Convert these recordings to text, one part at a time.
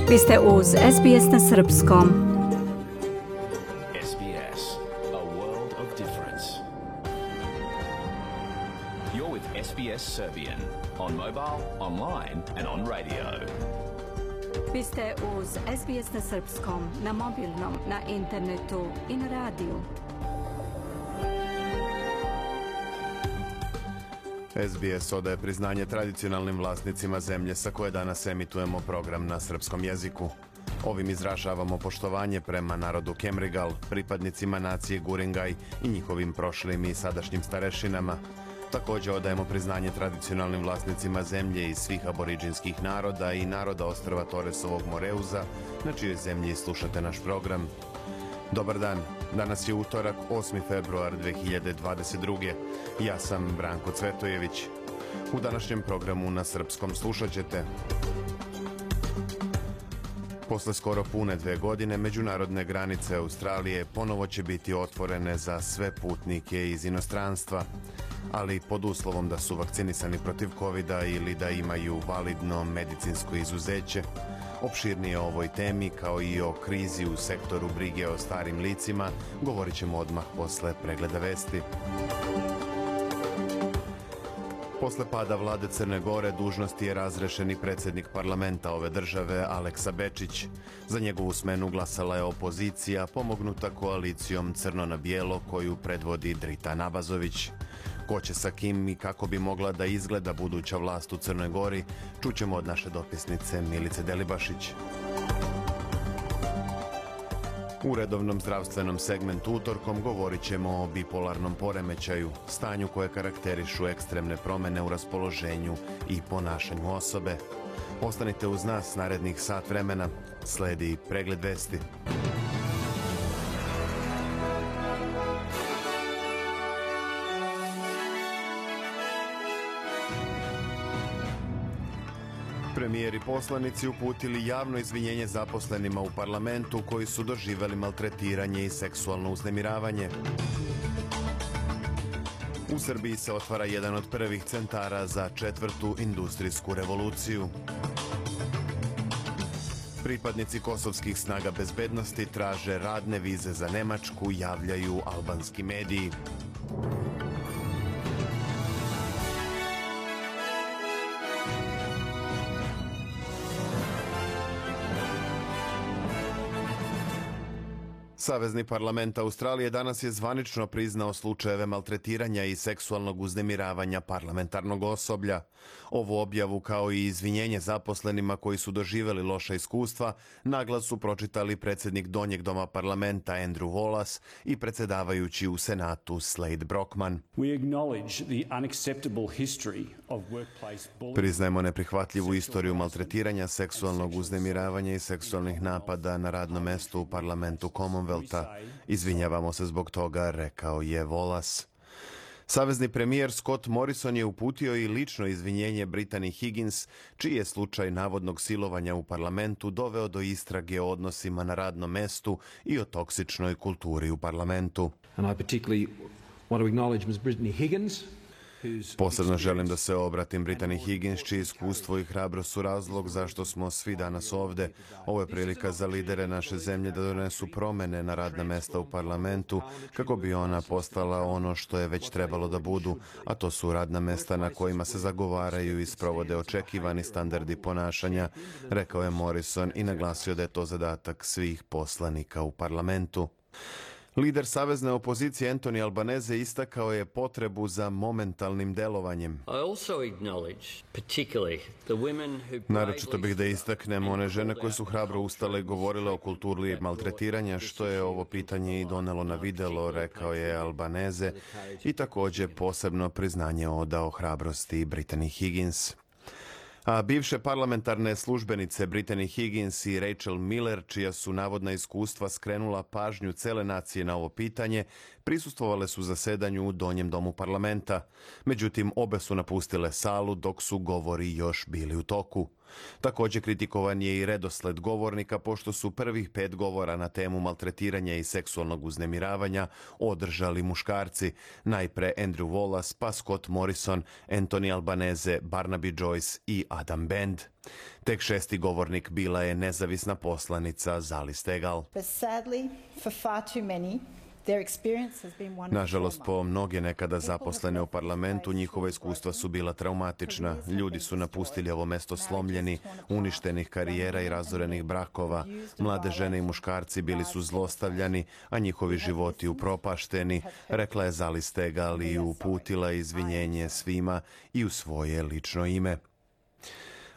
Vi ste uz SBS na srpskom. SBS, a world of difference. You're with SBS Serbian on mobile, online and on radio. Vi ste uz SBS na srpskom, na mobilnom, na internetu i na radiju. SBS odaje priznanje tradicionalnim vlasnicima zemlje sa koje danas emitujemo program na srpskom jeziku. Ovim izražavamo poštovanje prema narodu Kemrigal, pripadnicima nacije Guringaj i njihovim prošlim i sadašnjim starešinama. Također odajemo priznanje tradicionalnim vlasnicima zemlje i svih aboriđinskih naroda i naroda ostrva Toresovog Moreuza, na čijoj zemlji slušate naš program. Dobar dan, danas je utorak, 8. februar 2022. Ja sam Branko Cvetojević. U današnjem programu na srpskom slušat ćete: posle skoro pune 2 godine, međunarodne granice Australije ponovo će biti otvorene za sve putnike iz inostranstva, ali pod uslovom da su vakcinisani protiv covida ili da imaju validno medicinsko izuzeće. Opširnije o ovoj temi, kao i o krizi u sektoru brige o starim licima, govorit ćemo odmah posle pregleda vesti. Posle pada vlade Crne Gore dužnosti je razrešeni predsjednik parlamenta ove države Aleksa Bečić. Za njegovu smenu glasala je opozicija, pomognuta koalicijom Crno na bijelo koju predvodi Drita Nabazović. Ko će sa kim i kako bi mogla da izgleda buduća vlast u Crnoj Gori, čućemo od naše dopisnice Milice Delibašić. U redovnom zdravstvenom segmentu utorkom govorit ćemo o bipolarnom poremećaju, stanju koje karakterišu ekstremne promjene u raspoloženju i ponašanju osobe. Ostanite uz nas narednih sat vremena, sledi pregled vesti. Premijer i poslanici uputili javno izvinjenje zaposlenima u parlamentu koji su doživjeli maltretiranje i seksualno uznemiravanje. U Srbiji se otvara jedan od prvih centara za 4. industrijsku revoluciju. Pripadnici kosovskih snaga bezbednosti traže radne vize za Nemačku, javljaju albanski mediji. Savezni parlament Australije danas je zvanično priznao slučajeve maltretiranja i seksualnog uznemiravanja parlamentarnog osoblja. Ovu objavu, kao i izvinjenje zaposlenima koji su doživjeli loša iskustva, naglas su pročitali predsjednik Donjeg doma parlamenta Andrew Wallace i predsjedavajući u Senatu Slade Brockman. Priznajemo neprihvatljivu istoriju maltretiranja, seksualnog uznemiravanja i seksualnih napada na radnom mestu u parlamentu Commonwealtha. Izvinjavamo se zbog toga, rekao je Wallace. Savezni premijer Scott Morrison je uputio i lično izvinjenje Brittany Higgins, čiji je slučaj navodnog silovanja u parlamentu doveo do istrage o odnosima na radnom mestu i o toksičnoj kulturi u parlamentu. Posebno želim da se obratim Brittany Higgins, čije iskustvo i hrabrost su razlog zašto smo svi danas ovde. Ovo je prilika za lidere naše zemlje da donesu promene na radna mesta u parlamentu kako bi ona postala ono što je već trebalo da budu, a to su radna mesta na kojima se zagovaraju i sprovode očekivani standardi ponašanja, rekao je Morrison i naglasio da je to zadatak svih poslanika u parlamentu. Lider savezne opozicije Anthony Albanese istakao je potrebu za momentalnim delovanjem. Naročito bih da istaknem one žene koje su hrabro ustale i govorile o kulturi maltretiranja, što je ovo pitanje i donelo na videlo, rekao je Albanese, i također posebno priznanje odao hrabrosti Brittany Higgins. A bivše parlamentarne službenice Brittany Higgins i Rachel Miller, čija su navodna iskustva skrenula pažnju cele nacije na ovo pitanje, prisustvovale su zasedanju u Donjem domu parlamenta. Međutim, obe su napustile salu dok su govori još bili u toku. Također kritikovan je i redosled govornika pošto su prvih 5 govora na temu maltretiranja i seksualnog uznemiravanja održali muškarci. Najpre Andrew Wallace, pa Scott Morrison, Anthony Albanese, Barnaby Joyce i Adam Bend. Tek 6. govornik bila je nezavisna poslanica Zali Steggall. Nažalost, po mnoge nekada zaposlene u parlamentu, njihova iskustva su bila traumatična. Ljudi su napustili ovo mesto slomljeni, uništenih karijera i razorenih brakova. Mlade žene i muškarci bili su zlostavljani, a njihovi životi upropašteni, rekla je Zali Steggall i uputila izvinjenje svima i u svoje lično ime.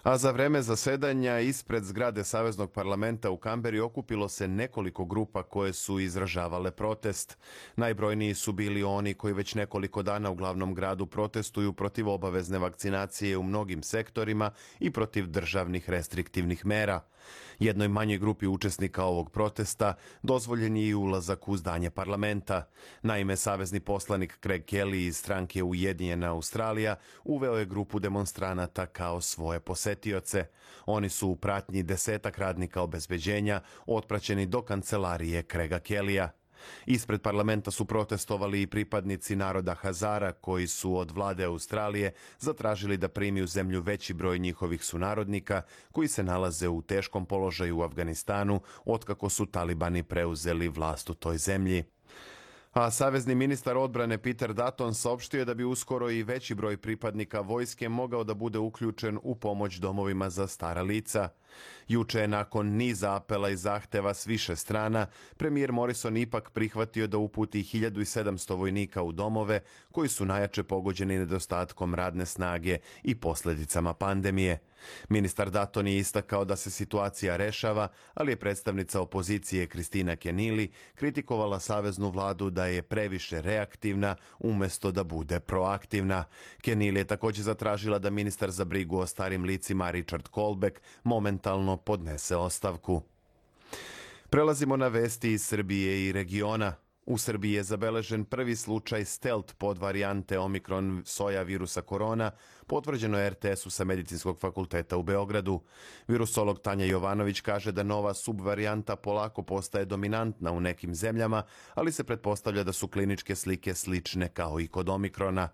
A za vreme zasedanja ispred zgrade Saveznog parlamenta u Kamberi okupilo se nekoliko grupa koje su izražavale protest. Najbrojniji su bili oni koji već nekoliko dana u glavnom gradu protestuju protiv obavezne vakcinacije u mnogim sektorima i protiv državnih restriktivnih mera. Jednoj manjoj grupi učesnika ovog protesta dozvoljen je i ulazak u zdanje parlamenta. Naime, savezni poslanik Craig Kelly iz stranke Ujedinjena Australija uveo je grupu demonstranata kao svoje posetioce. Oni su u pratnji 10 radnika obezbeđenja otpraćeni do kancelarije Craiga Kellyja. Ispred parlamenta su protestovali i pripadnici naroda Hazara koji su od vlade Australije zatražili da primi u zemlju veći broj njihovih sunarodnika koji se nalaze u teškom položaju u Afganistanu otkako su talibani preuzeli vlast u toj zemlji. A savezni ministar odbrane Peter Dutton saopštio je da bi uskoro i veći broj pripadnika vojske mogao da bude uključen u pomoć domovima za stara lica. Juče je nakon niza apela i zahteva s više strana, premijer Morrison ipak prihvatio da uputi 1700 vojnika u domove koji su najjače pogođeni nedostatkom radne snage i posljedicama pandemije. Ministar Dutton je istakao da se situacija rešava, ali je predstavnica opozicije Kristina Kenili kritikovala saveznu vladu da je previše reaktivna umjesto da bude proaktivna. Kenili je također zatražila da ministar za brigu o starim licima Richard Colbeck momentalno podnese ostavku. Prelazimo na vesti iz Srbije i regiona. U Srbiji je zabeležen prvi slučaj stealth podvarijante Omikron soja virusa korona, potvrđeno je RTS-u sa Medicinskog fakulteta u Beogradu. Virusolog Tanja Jovanović kaže da nova subvarijanta polako postaje dominantna u nekim zemljama, ali se pretpostavlja da su kliničke slike slične kao i kod Omikrona.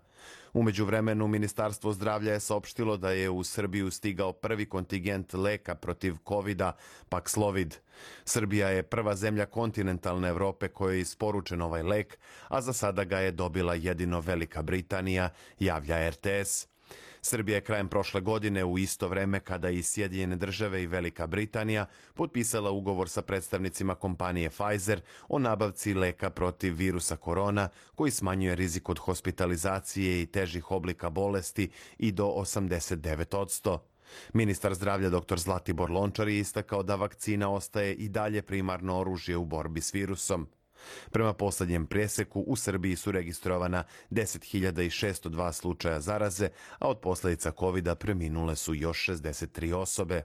U međuvremenu, Ministarstvo zdravlja je saopštilo da je u Srbiju stigao prvi kontingent leka protiv COVID-a, Paxlovid. Srbija je prva zemlja kontinentalne Evrope kojoj je isporučen ovaj lek, a za sada ga je dobila jedino Velika Britanija, javlja RTS. Srbija je krajem prošle godine u isto vreme kada i Sjedinjene države i Velika Britanija potpisala ugovor sa predstavnicima kompanije Pfizer o nabavci leka protiv virusa korona koji smanjuje rizik od hospitalizacije i težih oblika bolesti i do 89%. Ministar zdravlja dr. Zlatibor Lončar je istakao da vakcina ostaje i dalje primarno oružje u borbi s virusom. Prema posljednjem preseku u Srbiji su registrovana 10.602 slučaja zaraze, a od posljedica COVID-a preminule su još 63 osobe.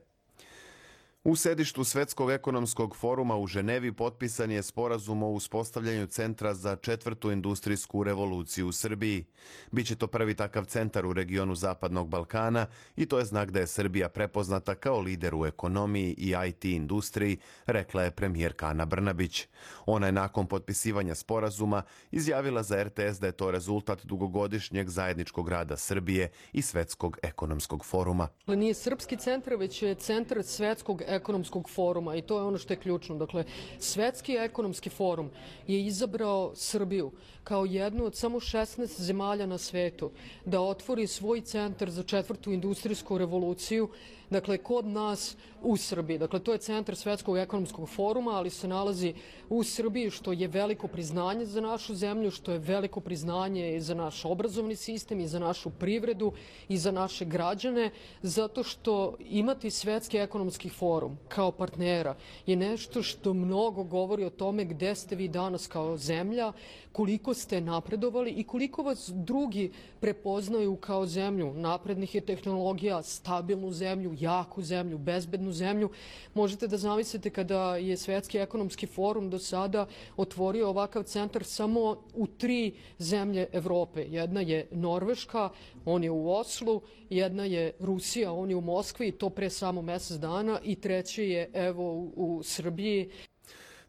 U sedištu Svetskog ekonomskog foruma u Ženevi potpisan je sporazum o uspostavljanju centra za 4. industrijsku revoluciju u Srbiji. Biće to prvi takav centar u regionu Zapadnog Balkana i to je znak da je Srbija prepoznata kao lider u ekonomiji i IT industriji, rekla je premijerka Ana Brnabić. Ona je nakon potpisivanja sporazuma izjavila za RTS da je to rezultat dugogodišnjeg zajedničkog rada Srbije i Svetskog ekonomskog foruma. Nije srpski centar, već je centar Svetskog ekonomskog foruma i to je ono što je ključno. Dakle, Svetski ekonomski forum je izabrao Srbiju kao jednu od samo 16 zemalja na svetu da otvori svoj centar za 4. industrijsku revoluciju, dakle, kod nas u Srbiji. Dakle, to je centar Svetskog ekonomskog foruma, ali se nalazi u Srbiji, što je veliko priznanje za našu zemlju, što je veliko priznanje i za naš obrazovni sistem i za našu privredu i za naše građane, zato što imati Svetski ekonomski forum kao partnera je nešto što mnogo govori o tome gde ste vi danas kao zemlja, koliko ste napredovali i koliko vas drugi prepoznaju kao zemlju naprednih tehnologija, stabilnu zemlju, jaku zemlju, bezbednu zemlju. Možete da zamislite kada je Svetski ekonomski forum do sada otvorio ovakav centar samo u 3 zemlje Evrope. Jedna je Norveška, on je u Oslu, jedna je Rusija, on je u Moskvi, to pre samo mesec dana, i treći je evo u Srbiji.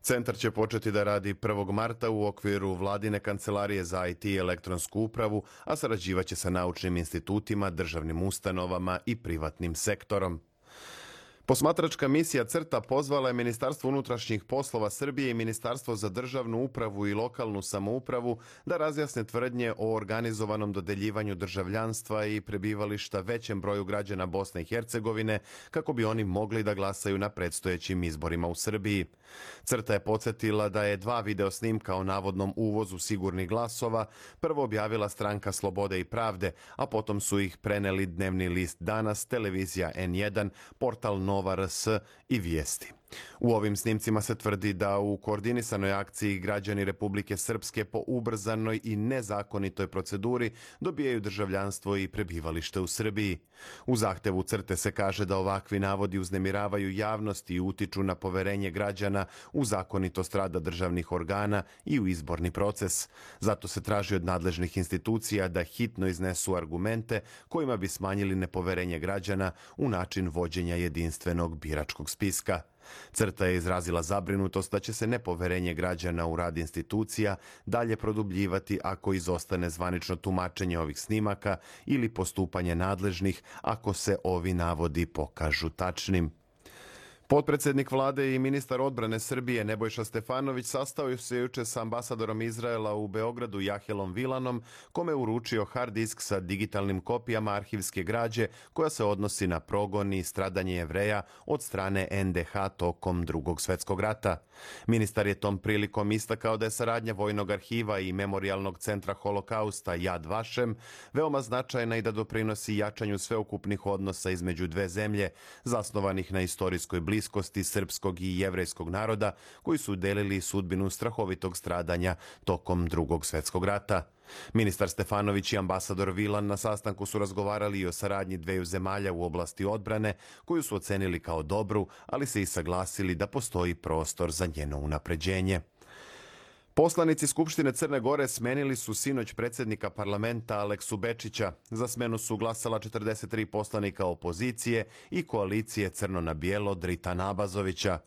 Centar će početi da radi 1. marta u okviru Vladine kancelarije za IT i elektronsku upravu, a sarađivaće sa naučnim institutima, državnim ustanovama i privatnim sektorom. Posmatračka misija CRTA pozvala je Ministarstvo unutrašnjih poslova Srbije i Ministarstvo za državnu upravu i lokalnu samoupravu da razjasne tvrdnje o organizovanom dodeljivanju državljanstva i prebivališta većem broju građana Bosne i Hercegovine kako bi oni mogli da glasaju na predstojećim izborima u Srbiji. CRTA je podsjetila da je 2 video snimka o navodnom uvozu sigurnih glasova prvo objavila stranka Slobode i pravde, a potom su ih preneli dnevni list Danas, televizija N1, portal Nova RS i Vijesti. U ovim snimcima se tvrdi da u koordinisanoj akciji građani Republike Srpske po ubrzanoj i nezakonitoj proceduri dobijaju državljanstvo i prebivalište u Srbiji. U zahtevu CRTE se kaže da ovakvi navodi uznemiravaju javnost i utiču na poverenje građana u zakonitost rada državnih organa i u izborni proces. Zato se traži od nadležnih institucija da hitno iznesu argumente kojima bi smanjili nepoverenje građana u način vođenja jedinstvenog biračkog spiska. CRTA je izrazila zabrinutost da će se nepoverenje građana u rad institucija dalje produbljivati ako izostane zvanično tumačenje ovih snimaka ili postupanje nadležnih ako se ovi navodi pokažu tačnim. Potpredsednik vlade i ministar odbrane Srbije Nebojša Stefanović sastao se juče sa ambasadorom Izraela u Beogradu Jahelom Vilanom, kome je uručio hard disk sa digitalnim kopijama arhivske građe koja se odnosi na progon i stradanje Jevreja od strane NDH tokom Drugog svjetskog rata. Ministar je tom prilikom istakao da je saradnja Vojnog arhiva i Memorijalnog centra holokausta Yad Vashem veoma značajna i da doprinosi jačanju sveukupnih odnosa između dve zemlje, zasnovanih na istorijskoj bliskosti srpskog i jevrejskog naroda koji su delili sudbinu strahovitog stradanja tokom Drugog svjetskog rata. Ministar Stefanović i ambasador Vilan na sastanku su razgovarali i o saradnji dveju zemalja u oblasti odbrane, koju su ocenili kao dobru, ali se i saglasili da postoji prostor za njeno unapređenje. Poslanici Skupštine Crne Gore smenili su sinoć predsjednika parlamenta Aleksu Bečića. Za smenu su glasala 43 poslanika opozicije i koalicije Crno na bijelo Dritana Abazovića.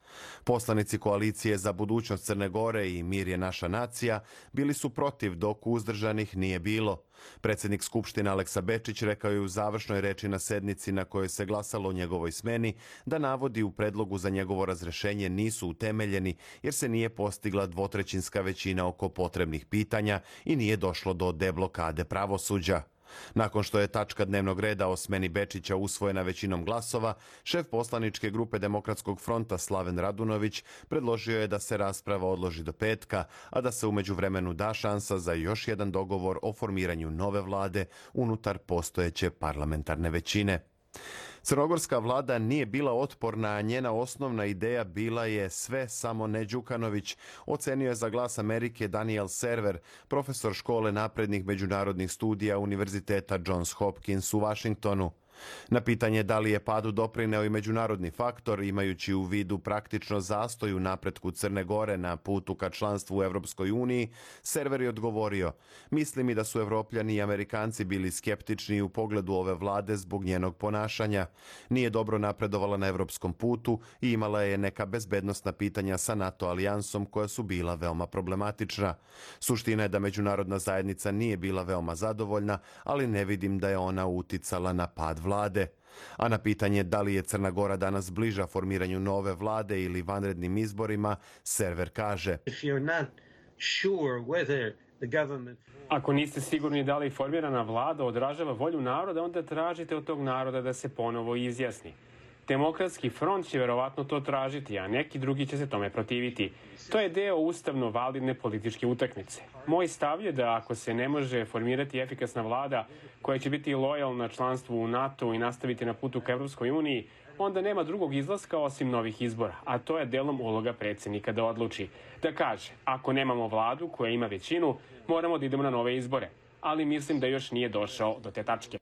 Poslanici koalicije za budućnost Crne Gore i Mir je naša nacija bili su protiv, dok uzdržanih nije bilo. Predsjednik Skupštine Aleksa Bečić rekao je u završnoj reči na sednici na kojoj se glasalo o njegovoj smeni da navodi u predlogu za njegovo razrešenje nisu utemeljeni jer se nije postigla dvotrećinska većina oko potrebnih pitanja i nije došlo do deblokade pravosuđa. Nakon što je tačka dnevnog reda o smeni Bečića usvojena većinom glasova, šef poslaničke grupe Demokratskog fronta Slaven Radunović predložio je da se rasprava odloži do petka, a da se u međuvremenu da šansa za još jedan dogovor o formiranju nove vlade unutar postojeće parlamentarne većine. Crnogorska vlada nije bila otporna, a njena osnovna ideja bila je sve samo ne Đukanović, ocenio je za Glas Amerike Daniel Server, profesor škole naprednih međunarodnih studija Univerziteta Johns Hopkins u Vašingtonu. Na pitanje da li je padu doprineo i međunarodni faktor, imajući u vidu praktično zastoj u napretku Crne Gore na putu ka članstvu u Evropskoj uniji, Server je odgovorio: mislim i da su Evropljani i Amerikanci bili skeptični u pogledu ove vlade zbog njenog ponašanja. Nije dobro napredovala na evropskom putu i imala je neka bezbednosna pitanja sa NATO alijansom koja su bila veoma problematična. Suština je da međunarodna zajednica nije bila veoma zadovoljna, ali ne vidim da je ona uticala na pad vlade. A na pitanje da li je Crna Gora danas bliža formiranju nove vlade ili vanrednim izborima, Server kaže: ako niste sigurni da li formirana vlada odražava volju naroda, onda tražite od tog naroda da se ponovo izjasni. Demokratski front će verovatno to tražiti, a neki drugi će se tome protiviti. To je deo ustavno validne političke utakmice. Moj stav je da ako se ne može formirati efikasna vlada koja će biti lojalna članstvu u NATO i nastaviti na putu ka Evropskoj uniji, onda nema drugog izlaska osim novih izbora, a to je delom uloga predsjednika da odluči. Da kaže, ako nemamo vladu koja ima većinu, moramo da idemo na nove izbore, ali mislim da još nije došao do te tačke.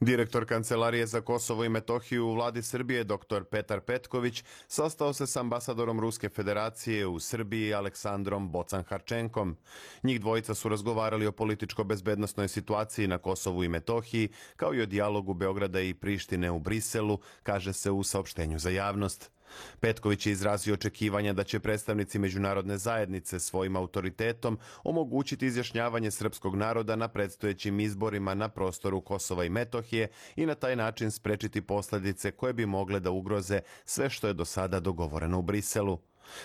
Direktor Kancelarije za Kosovo i Metohiju u vladi Srbije, dr. Petar Petković, sastao se s ambasadorom Ruske federacije u Srbiji Aleksandrom Bocan-Harčenkom. Njih dvojica su razgovarali o političko-bezbednosnoj situaciji na Kosovu i Metohiji, kao i o dijalogu Beograda i Prištine u Briselu, kaže se u saopštenju za javnost. Petković je izrazio očekivanja da će predstavnici međunarodne zajednice svojim autoritetom omogućiti izjašnjavanje srpskog naroda na predstojećim izborima na prostoru Kosova i Metohije i na taj način sprečiti posljedice koje bi mogle da ugroze sve što je do sada dogovoreno u Briselu.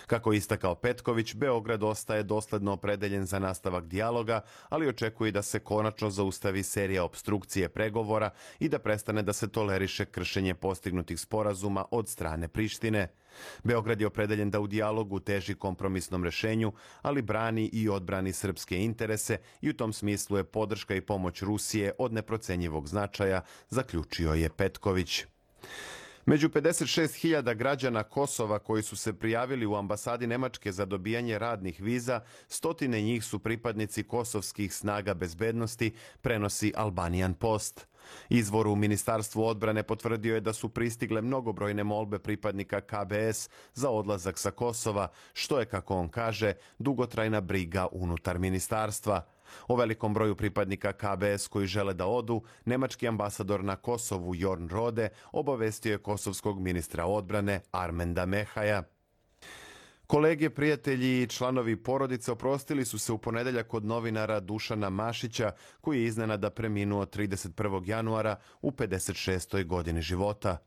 Kako je istakao Petković, Beograd ostaje dosledno opredeljen za nastavak dijaloga, ali očekuje da se konačno zaustavi serija opstrukcije pregovora i da prestane da se toleriše kršenje postignutih sporazuma od strane Prištine. Beograd je opredeljen da u dijalogu teži kompromisnom rešenju, ali brani i odbrani srpske interese i u tom smislu je podrška i pomoć Rusije od neprocenjivog značaja, zaključio je Petković. Među 56.000 građana Kosova koji su se prijavili u ambasadi Nemačke za dobijanje radnih viza, stotine njih su pripadnici kosovskih snaga bezbednosti, prenosi Albanian Post. Izvor u Ministarstvu odbrane potvrdio je da su pristigle mnogobrojne molbe pripadnika KBS za odlazak sa Kosova, što je, kako on kaže, dugotrajna briga unutar ministarstva. O velikom broju pripadnika KBS koji žele da odu, nemački ambasador na Kosovu Jorn Rode obavestio je kosovskog ministra odbrane Armenda Mehaja. Kolege, prijatelji i članovi porodice oprostili su se u ponedeljak od novinara Dušana Mašića, koji je iznenada preminuo 31. januara u 56. godini života.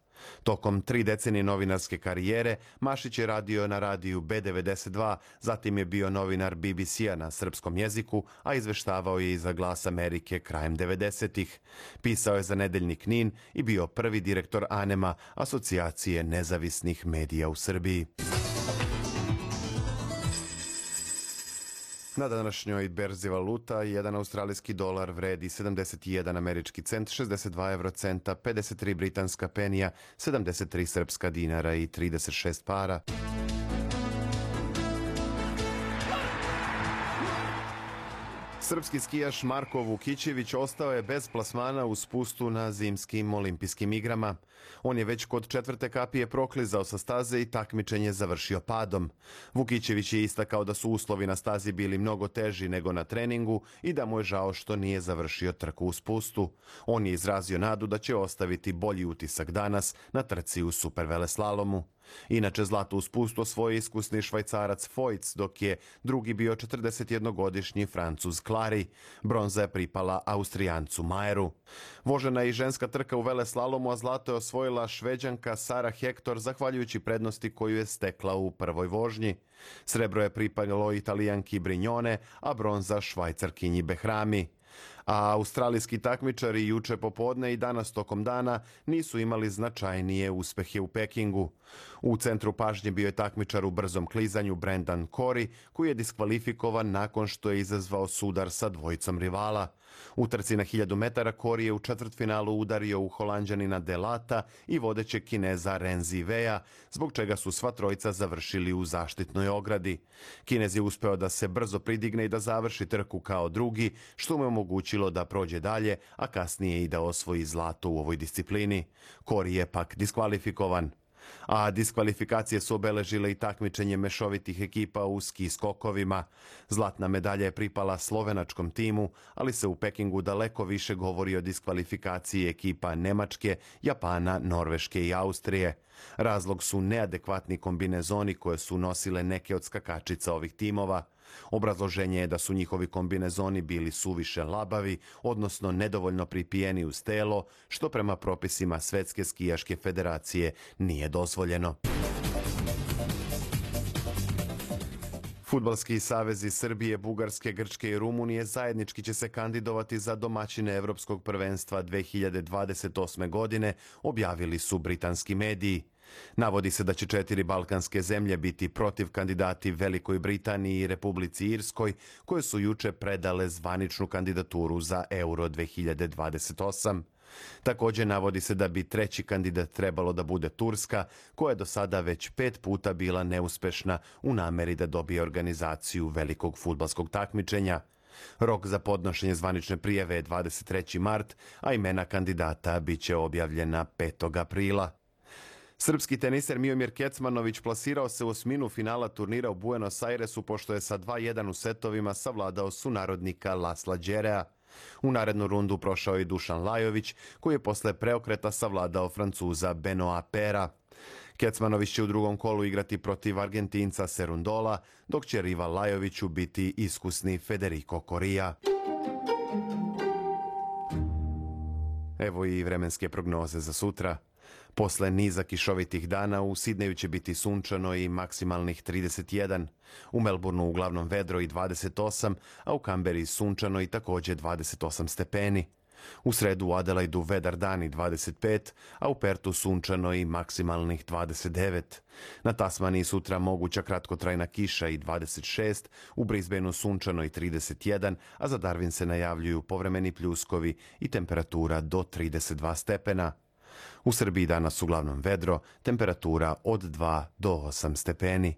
Tokom 3 decenije novinarske karijere Mašić je radio na radiju B92, zatim je bio novinar BBC-a na srpskom jeziku, a izveštavao je i za Glas Amerike krajem 90-ih. Pisao je za nedeljnik NIN i bio prvi direktor ANEM-a, Asocijacije nezavisnih medija u Srbiji. Na današnjoj berzi valuta jedan australijski dolar vredi 71 američki cent, 62 eurocenta, 53 britanska penija, 73 srpska dinara i 36 para. Srpski skijaš Marko Vukićević ostao je bez plasmana u spustu na zimskim olimpijskim igrama. On je već kod 4. kapije proklizao sa staze i takmičenje završio padom. Vukićević je istakao da su uslovi na stazi bili mnogo teži nego na treningu i da mu je žao što nije završio trku u spustu. On je izrazio nadu da će ostaviti bolji utisak danas na trci u superveleslalomu. Inače, zlato u spustu osvojio iskusni Švajcarac Foyt, dok je drugi bio 41-godišnji Francuz Clary. Bronza je pripala Austrijancu Majeru. Vožena je i ženska trka u veleslalomu, a zlato je osvojila Šveđanka Sara Hector zahvaljujući prednosti koju je stekla u prvoj vožnji. Srebro je pripalo Italijanki Brignone, a bronza Švajcarkinji Behrami. A australijski takmičari juče popodne i danas tokom dana nisu imali značajnije uspehe u Pekingu. U centru pažnje bio je takmičar u brzom klizanju Brendan Corey, koji je diskvalifikovan nakon što je izazvao sudar sa dvojicom rivala. U trci na 1000 metara Corey je u četvrtfinalu udario u Holanđanina Delata i vodećeg Kineza Renzi Veja, zbog čega su sva trojica završili u zaštitnoj ogradi. Kinez je uspeo da se brzo pridigne i da završi trku kao drugi, što mu je omogućilo da prođe dalje, a kasnije i da osvoji zlato u ovoj disciplini. Corey je pak diskvalifikovan. A diskvalifikacije su obeležile i takmičenje mešovitih ekipa u ski skokovima. Zlatna medalja je pripala slovenačkom timu, ali se u Pekingu daleko više govori o diskvalifikaciji ekipa Nemačke, Japana, Norveške i Austrije. Razlog su neadekvatni kombinezoni koje su nosile neke od skakačica ovih timova. Obrazloženje je da su njihovi kombinezoni bili suviše labavi, odnosno nedovoljno pripijeni uz telo, što prema propisima Svetske skijaške federacije nije dozvoljeno. Fudbalski savezi Srbije, Bugarske, Grčke i Rumunije zajednički će se kandidovati za domaćine Evropskog prvenstva 2028. godine, objavili su britanski mediji. Navodi se da će 4 balkanske zemlje biti protiv kandidati Velikoj Britaniji i Republici Irskoj, koje su juče predale zvaničnu kandidaturu za Euro 2028. Također navodi se da bi treći kandidat trebalo da bude Turska, koja je do sada već 5 puta bila neuspešna u nameri da dobije organizaciju velikog fudbalskog takmičenja. Rok za podnošenje zvanične prijave je 23. mart, a imena kandidata bit će objavljena 5. aprila. Srpski teniser Miomir Kecmanović plasirao se u osminu finala turnira u Buenos Airesu pošto je sa 2:1 u setovima savladao sunarodnika Lasla Đerea. U narednu rundu prošao i Dušan Lajović, koji je posle preokreta savladao Francuza Benoît Paire. Kecmanović će u drugom kolu igrati protiv Argentinca Serundola, dok će rival Lajoviću biti iskusni Federico Coria. Evo i vremenske prognoze za sutra. Posle niza kišovitih dana u Sidneju će biti sunčano i maksimalnih 31, u Melbourneu uglavnom vedro i 28, a u Kamberi sunčano i takođe 28 stepeni. U sredu u Adelaidu vedar dan i 25, a u Pertu sunčano i maksimalnih 29. Na Tasmaniji sutra moguća kratkotrajna kiša i 26, u Brisbaneu sunčano i 31, a za Darwin se najavljuju povremeni pljuskovi i temperatura do 32 stepena. U Srbiji danas uglavnom vedro, temperatura od 2 do 8 stepeni.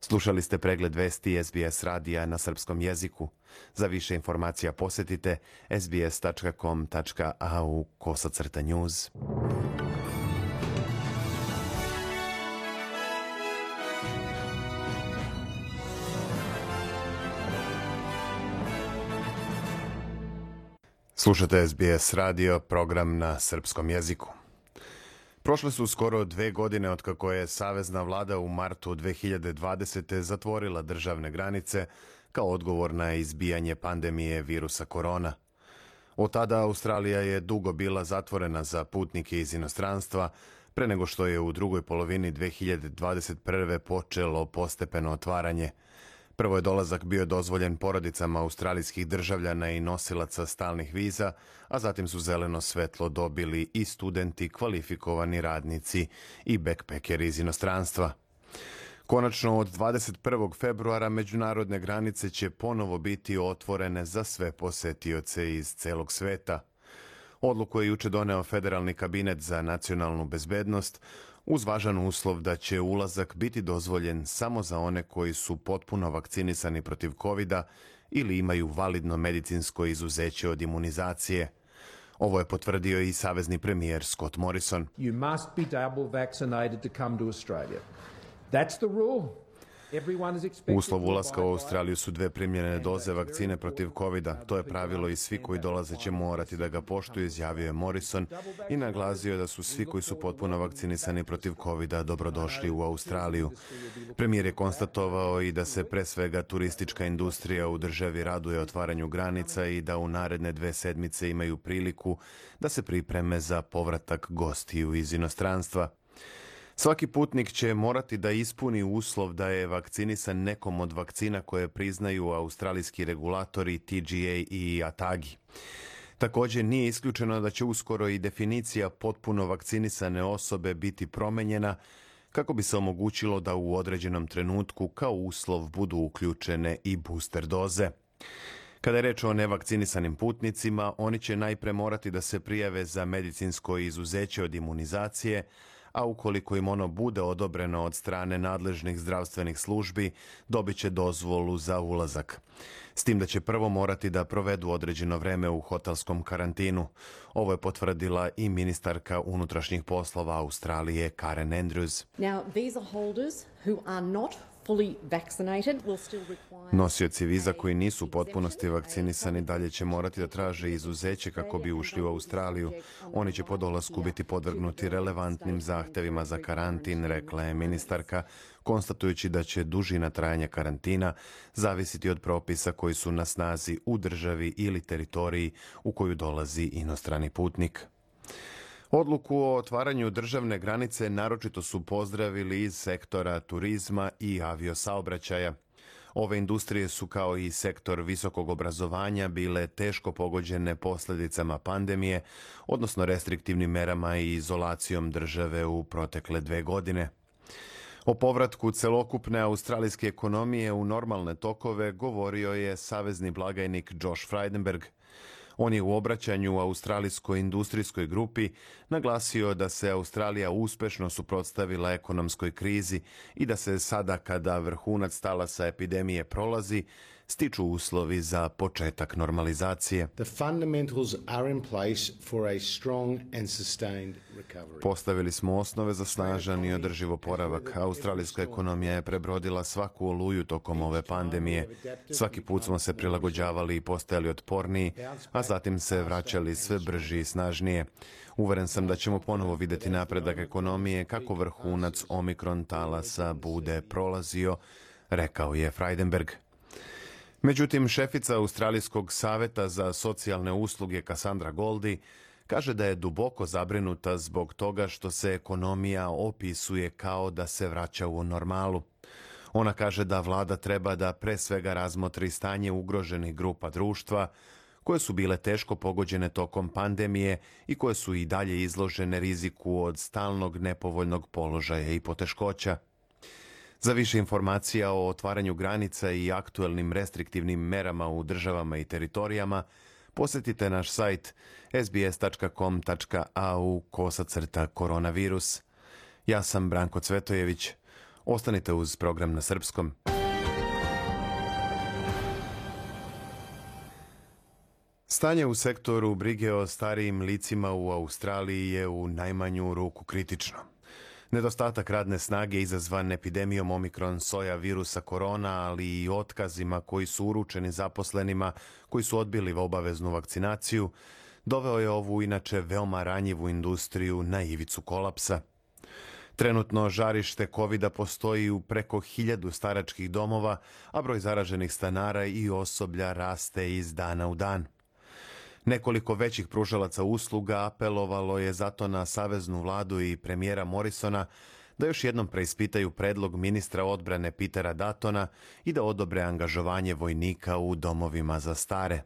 Slušali ste pregled vesti SBS radija na srpskom jeziku. Za više informacija posetite sbs.com.au/news. Slušate SBS radio, program na srpskom jeziku. Prošle su skoro 2 godine od kako je savezna vlada u martu 2020. zatvorila državne granice kao odgovor na izbijanje pandemije virusa korona. Od tada Australija je dugo bila zatvorena za putnike iz inostranstva, pre nego što je u drugoj polovini 2021. počelo postepeno otvaranje. Prvo je dolazak bio dozvoljen porodicama australijskih državljana i nosilaca stalnih viza, a zatim su zeleno svetlo dobili i studenti, kvalifikovani radnici i backpackeri iz inostranstva. Konačno, od 21. februara međunarodne granice će ponovo biti otvorene za sve posetioce iz celog sveta. Odluku je juče doneo Federalni kabinet za nacionalnu bezbednost, uz važan uslov da će ulazak biti dozvoljen samo za one koji su potpuno vakcinisani protiv COVID-a ili imaju validno medicinsko izuzeće od imunizacije. Ovo je potvrdio i savezni premijer Scott Morrison. You must be double vaccinated to come to Australia. That's the rule. Uslov ulaska u Australiju su 2 primljene doze vakcine protiv COVID-a. To je pravilo i svi koji dolaze će morati da ga poštuju, izjavio je Morrison i naglasio da su svi koji su potpuno vakcinisani protiv COVID-a dobrodošli u Australiju. Premijer je konstatovao i da se pre svega turistička industrija u državi raduje otvaranju granica i da u naredne 2 sedmice imaju priliku da se pripreme za povratak gostiju iz inostranstva. Svaki putnik će morati da ispuni uslov da je vakcinisan nekom od vakcina koje priznaju australijski regulatori TGA i ATAGI. Također nije isključeno da će uskoro i definicija potpuno vakcinisane osobe biti promenjena kako bi se omogućilo da u određenom trenutku kao uslov budu uključene i booster doze. Kada je reč o nevakcinisanim putnicima, oni će najpre morati da se prijave za medicinsko izuzeće od imunizacije, a ukoliko im ono bude odobreno od strane nadležnih zdravstvenih službi, dobit će dozvolu za ulazak. S tim da će prvo morati da provedu određeno vreme u hotelskom karantinu. Ovo je potvrdila i ministarka unutrašnjih poslova Australije Karen Andrews. Now, visa holders who are not fully vaccinated will still require... Nosioci viza koji nisu u potpunosti vakcinisani dalje će morati da traže izuzeće kako bi ušli u Australiju. Oni će po dolasku biti podvrgnuti relevantnim zahtevima za karantin, rekla je ministarka, konstatujući da će dužina trajanja karantina zavisiti od propisa koji su na snazi u državi ili teritoriji u koju dolazi inostrani putnik. Odluku o otvaranju državne granice naročito su pozdravili iz sektora turizma i aviosaobraćaja. Ove industrije su kao i sektor visokog obrazovanja bile teško pogođene posljedicama pandemije, odnosno restriktivnim merama i izolacijom države u protekle 2 godine. O povratku celokupne australijske ekonomije u normalne tokove govorio je savezni blagajnik Josh Frydenberg. On je u obraćanju australijskoj industrijskoj grupi naglasio da se Australija uspešno suprotstavila ekonomskoj krizi i da se sada kada vrhunac talasa epidemije prolazi, stiču uslovi za početak normalizacije. The fundamentals are in place for a strong and sustained recovery. Postavili smo osnove za snažan i održiv oporavak. Australijska ekonomija je prebrodila svaku oluju tokom ove pandemije. Svaki put smo se prilagođavali i postajali otporniji, a zatim se vraćali sve brži i snažnije. Uveren sam da ćemo ponovo vidjeti napredak ekonomije kako vrhunac Omikron talasa bude prolazio, rekao je Frydenberg. Međutim, šefica Australijskog saveta za socijalne usluge Cassandra Goldie kaže da je duboko zabrinuta zbog toga što se ekonomija opisuje kao da se vraća u normalu. Ona kaže da vlada treba da pre svega razmotri stanje ugroženih grupa društva koje su bile teško pogođene tokom pandemije i koje su i dalje izložene riziku od stalnog nepovoljnog položaja i poteškoća. Za više informacija o otvaranju granica i aktuelnim restriktivnim merama u državama i teritorijama, posjetite naš sajt sbs.com.au/koronavirus. Ja sam Branko Cvetojević. Ostanite uz program na srpskom. Stanje u sektoru brige o starijim licima u Australiji je u najmanju ruku kritično. Nedostatak radne snage izazvan epidemijom Omikron soja virusa korona, ali i otkazima koji su uručeni zaposlenima koji su odbili obaveznu vakcinaciju, doveo je ovu inače veoma ranjivu industriju na ivicu kolapsa. Trenutno žarište COVID-a postoji u preko 1000 staračkih domova, a broj zaraženih stanara i osoblja raste iz dana u dan. Nekoliko većih pružalaca usluga apelovalo je zato na saveznu vladu i premijera Morrisona da još jednom preispitaju predlog ministra odbrane Petera Duttona i da odobre angažovanje vojnika u domovima za stare.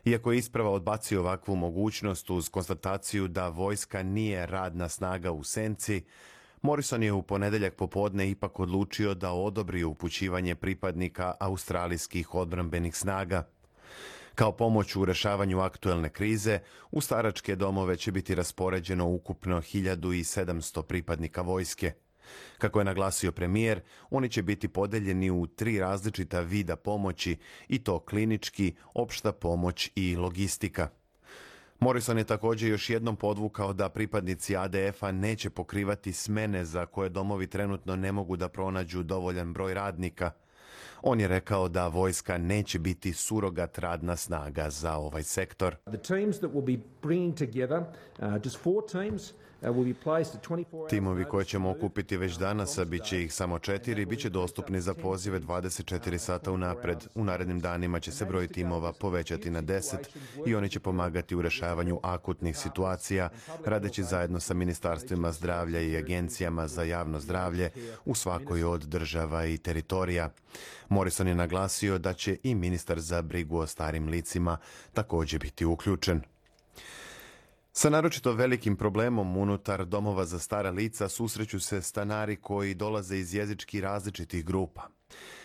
Iako je isprava odbacio ovakvu mogućnost uz konstataciju da vojska nije radna snaga u senci, Morrison je u ponedeljak popodne ipak odlučio da odobri upućivanje pripadnika australijskih odbrambenih snaga. Kao pomoć u rešavanju aktuelne krize, u staračke domove će biti raspoređeno ukupno 1700 pripadnika vojske. Kako je naglasio premijer, oni će biti podeljeni u 3 različita vida pomoći, i to klinički, opšta pomoć i logistika. Morrison je također još jednom podvukao da pripadnici ADF-a neće pokrivati smene za koje domovi trenutno ne mogu da pronađu dovoljan broj radnika. On je rekao da vojska neće biti surogat radna snaga za ovaj sektor. Timovi koje ćemo okupiti već danas, a bit će ih samo 4, bit će dostupni za pozive 24 sata unapred. U narednim danima će se broj timova povećati na 10 i oni će pomagati u rešavanju akutnih situacija, radeći zajedno sa ministarstvima zdravlja i agencijama za javno zdravlje u svakoj od država i teritorija. Morrison je naglasio da će i ministar za brigu o starim licima također biti uključen. Sa naročito velikim problemom unutar domova za stara lica susreću se stanari koji dolaze iz jezički različitih grupa.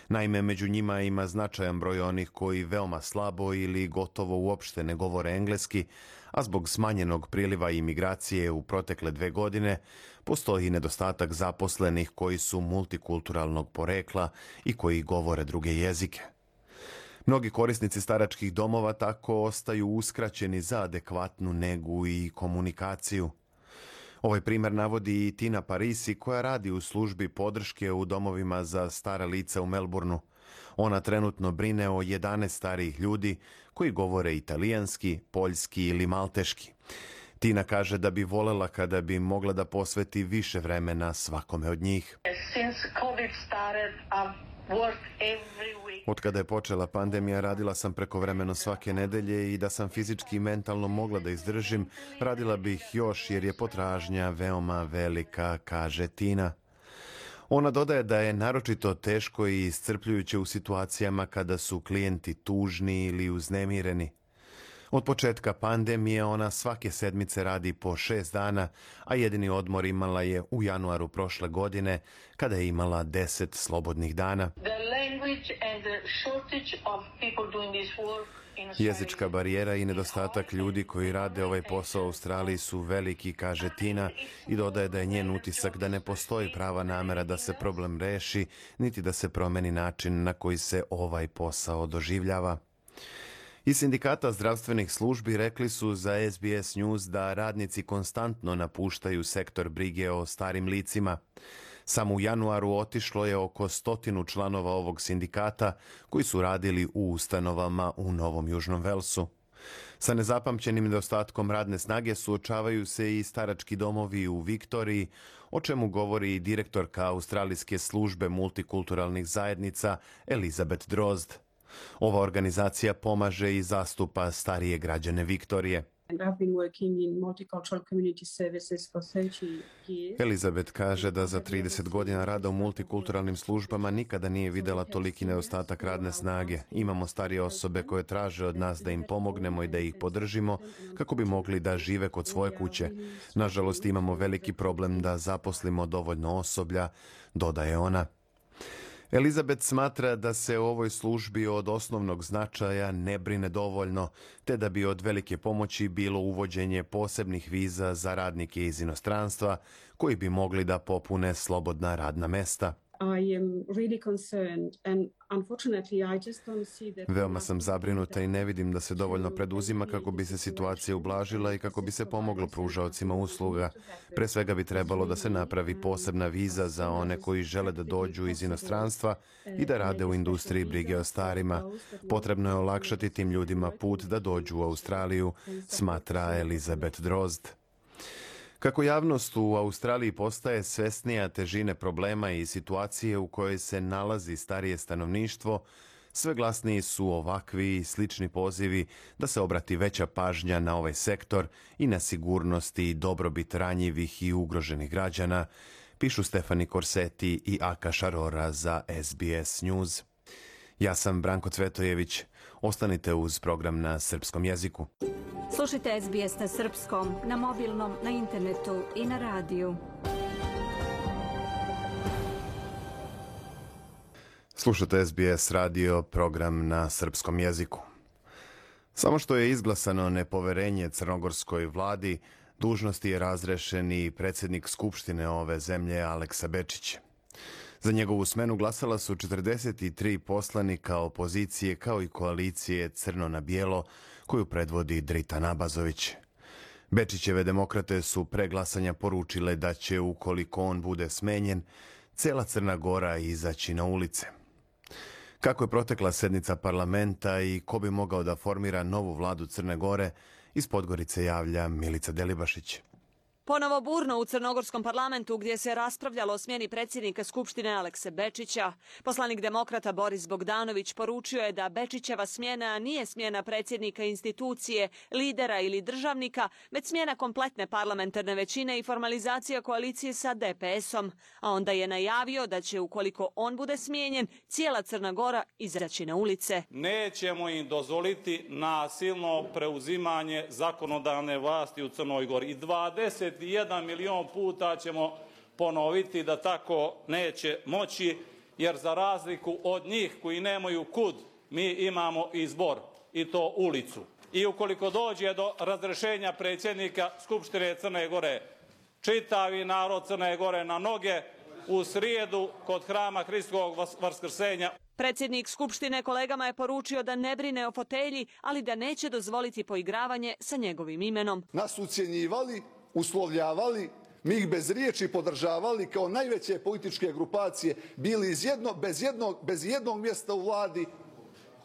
Naime, među njima ima značajan broj onih koji veoma slabo ili gotovo uopšte ne govore engleski, a zbog smanjenog priliva imigracije u protekle 2 godine postoji nedostatak zaposlenih koji su multikulturalnog porekla i koji govore druge jezike. Mnogi korisnici staračkih domova tako ostaju uskraćeni za adekvatnu negu i komunikaciju. Ovaj primjer navodi i Tina Parisi, koja radi u službi podrške u domovima za stara lica u Melbourneu. Ona trenutno brine o 11 starijih ljudi koji govore italijanski, poljski ili malteški. Tina kaže da bi volela kada bi mogla da posveti više vremena svakome od njih. Od kada je počela pandemija, radila sam prekovremeno svake nedelje i da sam fizički i mentalno mogla da izdržim, radila bih još jer je potražnja veoma velika, kaže Tina. Ona dodaje da je naročito teško i iscrpljujuće u situacijama kada su klijenti tužni ili uznemireni. Od početka pandemije ona svake sedmice radi po 6 dana, a jedini odmor imala je u januaru prošle godine, kada je imala 10 slobodnih dana. Jezička barijera i nedostatak ljudi koji rade ovaj posao u Australiji su veliki, kaže Tina, i dodaje da je njen utisak da ne postoji prava namera da se problem reši, niti da se promeni način na koji se ovaj posao doživljava. Iz sindikata zdravstvenih službi rekli su za SBS News da radnici konstantno napuštaju sektor brige o starim licima. Samo u januaru otišlo je oko 100 članova ovog sindikata koji su radili u ustanovama u Novom Južnom Velsu. Sa nezapamćenim nedostatkom radne snage suočavaju se i starački domovi u Viktoriji, o čemu govori i direktorka Australijske službe multikulturalnih zajednica Elizabeth Drozd. Ova organizacija pomaže i zastupa starije građane Viktorije. Elizabeth kaže da za 30 godina rada u multikulturalnim službama nikada nije videla toliki nedostatak radne snage. Imamo starije osobe koje traže od nas da im pomognemo i da ih podržimo kako bi mogli da žive kod svoje kuće. Nažalost, imamo veliki problem da zaposlimo dovoljno osoblja, dodaje ona. Elizabeth smatra da se o ovoj službi od osnovnog značaja ne brine dovoljno, te da bi od velike pomoći bilo uvođenje posebnih viza za radnike iz inostranstva koji bi mogli da popune slobodna radna mesta. Veoma sam zabrinuta i ne vidim da se dovoljno preduzima kako bi se situacija ublažila i kako bi se pomoglo pružaocima usluga. Pre svega bi trebalo da se napravi posebna viza za one koji žele da dođu iz inostranstva i da rade u industriji brige o starima. Potrebno je olakšati tim ljudima put da dođu u Australiju, smatra Elizabeth Drozd. Kako javnost u Australiji postaje svesnija težine problema i situacije u kojoj se nalazi starije stanovništvo, sve glasniji su ovakvi i slični pozivi da se obrati veća pažnja na ovaj sektor i na sigurnost i dobrobit ranjivih i ugroženih građana, pišu Stefani Korseti i Aka Šarora za SBS News. Ja sam Branko Cvetojević. Ostanite uz program na srpskom jeziku. Slušajte SBS na srpskom, na mobilnom, na internetu i na radiju. Slušajte SBS radio, program na srpskom jeziku. Samo što je izglasano nepoverenje crnogorskoj vladi, dužnosti je razrešen i predsjednik Skupštine ove zemlje Aleksa Bečić. Za njegovu smenu glasala su 43 poslanika opozicije kao i koalicije Crno na bijelo koju predvodi Dritan Abazović. Bečićeve demokrate su pre glasanja poručile da će, ukoliko on bude smenjen, cela Crna Gora izaći na ulice. Kako je protekla sednica parlamenta i ko bi mogao da formira novu vladu Crne Gore, iz Podgorice javlja Milica Delibašić. Ponovo burno u crnogorskom parlamentu gdje se raspravljalo o smjeni predsjednika Skupštine Alekse Bečića. Poslanik demokrata Boris Bogdanović poručio je da Bečićeva smjena nije smjena predsjednika institucije, lidera ili državnika, već smjena kompletne parlamentarne većine i formalizacija koalicije sa DPS-om. A onda je najavio da će, ukoliko on bude smijenjen, cijela Crna Gora izaći na ulice. Nećemo im dozvoliti nasilno preuzimanje zakonodavne vlasti u Crnoj Gori. I 21 milion puta ćemo ponoviti da tako neće moći, jer za razliku od njih koji nemaju kud, mi imamo izbor, i to ulicu. I ukoliko dođe do razrešenja predsjednika Skupštine Crne Gore, čitavi narod Crne Gore na noge u srijedu kod hrama Hristovog Vaskrsenja. Predsjednik Skupštine kolegama je poručio da ne brine o fotelji, ali da neće dozvoliti poigravanje sa njegovim imenom. Nas ucjenjivali, uslovljavali, mi ih bez riječi podržavali kao najveće političke grupacije, bili bez jednog mjesta u vladi.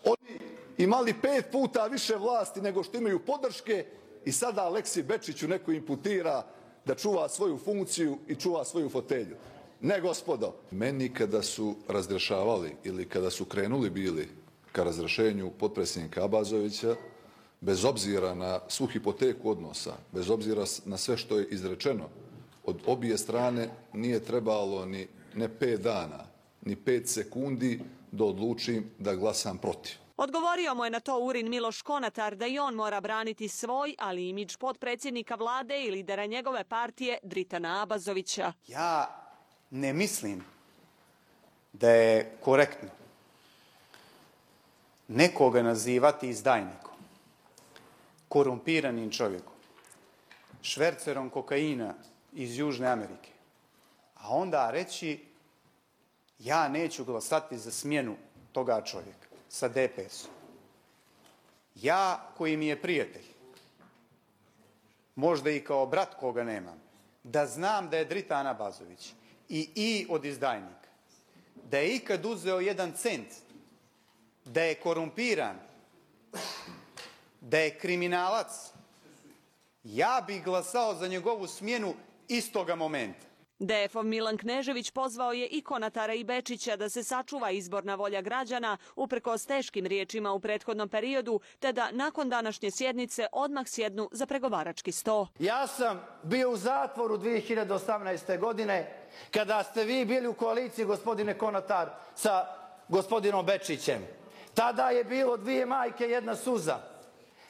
Oni imali 5 puta više vlasti nego što imaju podrške i sada Aleksi Bečiću neko imputira da čuva svoju funkciju i čuva svoju fotelju. Ne, gospodo. Meni kada su razrešavali ili kada su krenuli bili ka razrešenju potpredsjednika Abazovića, bez obzira na svu hipoteku odnosa, bez obzira na sve što je izrečeno, od obje strane nije trebalo ni ne 5 dana, ni 5 sekundi da odlučim da glasam protiv. Odgovorio mu je na to Urin Miloš Konatar da i on mora braniti svoj, ali i imidž potpredsjednika vlade i lidera njegove partije Dritana Abazovića. Ja ne mislim da je korektno nekoga nazivati izdajnikom, korumpiranim čovjekom, švercerom kokaina iz Južne Amerike, a onda reći ja neću glasati za smjenu toga čovjeka sa DPS-om. Ja koji mi je prijatelj, možda i kao brat koga nemam, da znam da je Dritan Abazović i od izdajnika, da je ikad uzeo 1 cent, da je korumpiran, da je kriminalac, ja bih glasao za njegovu smjenu istoga momenta. DF-ov Milan Knežević pozvao je i Konatara i Bečića da se sačuva izborna volja građana uprkos teškim riječima u prethodnom periodu, te da nakon današnje sjednice odmah sjednu za pregovarački sto. Ja sam bio u zatvoru 2018. godine kada ste vi bili u koaliciji, gospodine Konatar, sa gospodinom Bečićem. Tada je bilo 2 majke, 1 suza.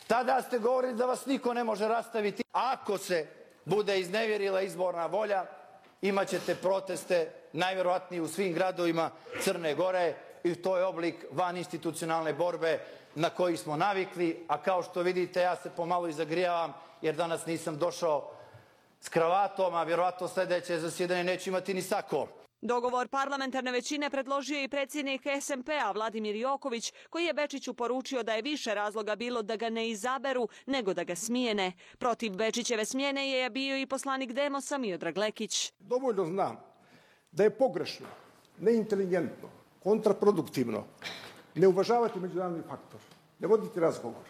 Tada ste govorili da vas niko ne može rastaviti. Ako se bude iznevjerila izborna volja, imaćete proteste, najvjerovatnije u svim gradovima Crne Gore, i to je oblik vaninstitucionalne borbe na koji smo navikli, a kao što vidite ja se pomalo i zagrijavam jer danas nisam došao s kravatom, a vjerovatno sljedeće zasjedanje neću imati ni sako. Dogovor parlamentarne većine predložio je i predsjednik SMP-a Vladimir Joković, koji je Bečiću poručio da je više razloga bilo da ga ne izaberu nego da ga smijene. Protiv Bečićeve smjene je bio i poslanik Demosa Miodrag Lekić. Dovoljno znam da je pogrešno, neinteligentno, kontraproduktivno ne uvažavati međunarodni faktor, ne voditi razgovor,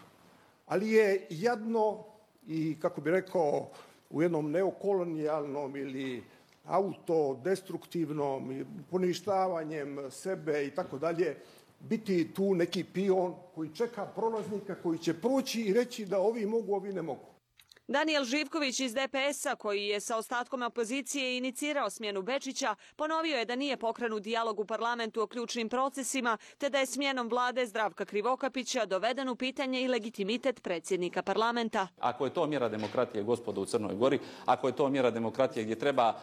ali je jadno i, kako bi rekao, u jednom neokolonijalnom ili autodestruktivnom, poništavanjem sebe i tako dalje, biti tu neki pion koji čeka prolaznika koji će proći i reći da ovi mogu, ovi ne mogu. Daniel Živković iz DPS-a, koji je sa ostatkom opozicije inicirao smjenu Bečića, ponovio je da nije pokrenut dijalog u parlamentu o ključnim procesima, te da je smjenom vlade Zdravka Krivokapića doveden u pitanje i legitimitet predsjednika parlamenta. Ako je to mjera demokratije, gospodo, u Crnoj Gori, ako je to mjera demokratije gdje treba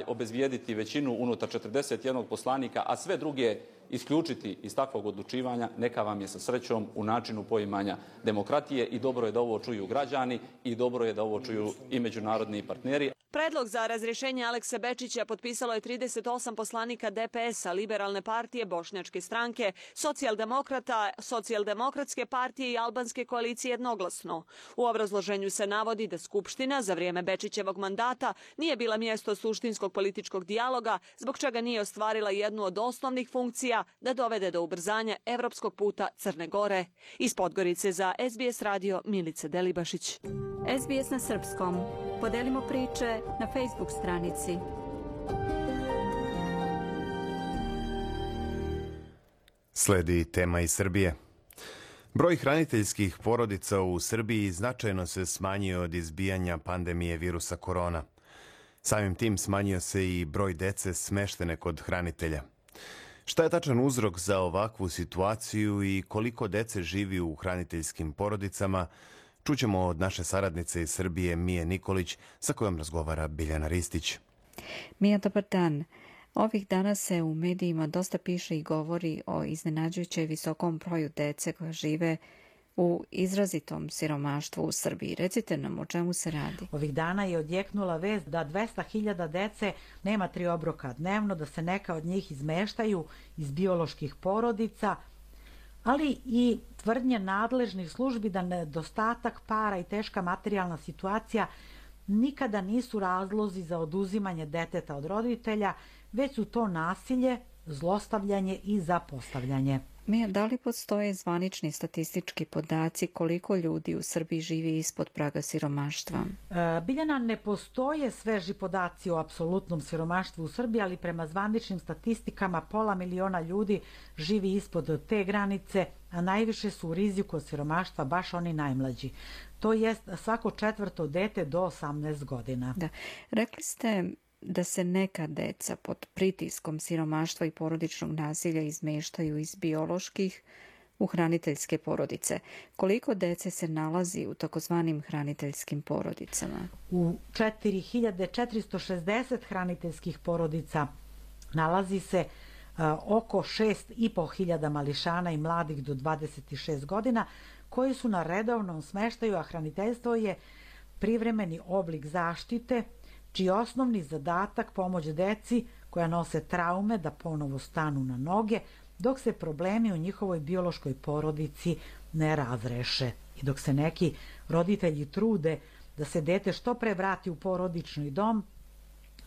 obezbijediti većinu unutar 41 poslanika, a sve druge isključiti iz takvog odlučivanja, neka vam je sa srećom u načinu poimanja demokratije, i dobro je da ovo čuju građani i dobro je da ovo čuju i međunarodni partneri. Predlog za razrješenje Alekse Bečića potpisalo je 38 poslanika DPS-a, Liberalne partije, Bošnjačke stranke, Socijaldemokrata, Socijaldemokratske partije i Albanske koalicije jednoglasno. U obrazloženju se navodi da Skupština za vrijeme Bečićevog mandata nije bila mjesto suštinskog političkog dijaloga, zbog čega nije ostvarila jednu od osnovnih funkcija da dovede do ubrzanja evropskog puta Crne Gore. Iz Podgorice za SBS radio Milica Delibašić. SBS na srpskom. Podelimo priče na Facebook stranici. Sledi tema iz Srbije. Broj hraniteljskih porodica u Srbiji značajno se smanjio od izbijanja pandemije virusa korona. Samim tim smanjio se i broj dece smeštene kod hranitelja. Šta je tačan uzrok za ovakvu situaciju i koliko dece živi u hraniteljskim porodicama, čućemo od naše saradnice iz Srbije Mije Nikolić, sa kojom razgovara Biljana Ristić. Mija, dobar dan. Ovih dana se u medijima dosta piše i govori o iznenađujuće visokom broju dece koja žive u izrazitom siromaštvu u Srbiji. Recite nam o čemu se radi. Ovih dana je odjeknula vest da 200.000 dece nema 3 obroka dnevno, da se neka od njih izmeštaju iz bioloških porodica, ali i tvrdnje nadležnih službi da nedostatak para i teška materijalna situacija nikada nisu razlozi za oduzimanje deteta od roditelja, već su to nasilje, zlostavljanje i zapostavljanje. Mija, da li postoje zvanični statistički podaci koliko ljudi u Srbiji živi ispod praga siromaštva? Biljana, ne postoje sveži podaci o apsolutnom siromaštvu u Srbiji, ali prema zvaničnim statistikama 500.000 ljudi živi ispod te granice, a najviše su u riziku od siromaštva baš oni najmlađi. To jest svako 4. dete do 18 godina. Da. Rekli ste da se neka deca pod pritiskom siromaštva i porodičnog nasilja izmeštaju iz bioloških u hraniteljske porodice. Koliko dece se nalazi u takozvanim hraniteljskim porodicama? U 4460 hraniteljskih porodica nalazi se oko 6.500 mališana i mladih do 26 godina koji su na redovnom smeštaju, a hraniteljstvo je privremeni oblik zaštite čiji osnovni zadatak pomoć deci koja nose traume da ponovo stanu na noge dok se problemi u njihovoj biološkoj porodici ne razreše i dok se neki roditelji trude da se dete što pre vrati u porodični dom,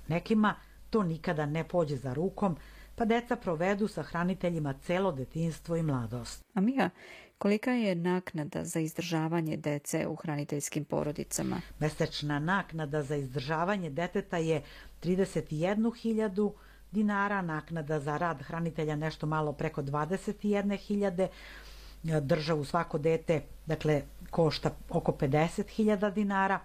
nekima to nikada ne pođe za rukom, pa deca provedu sa hraniteljima celo detinjstvo i mladost. A Mija, kolika je naknada za izdržavanje dece u hraniteljskim porodicama? Mesečna naknada za izdržavanje deteta je 31.000 dinara, naknada za rad hranitelja nešto malo preko 21.000, državu svako dete, dakle, košta oko 50.000 dinara,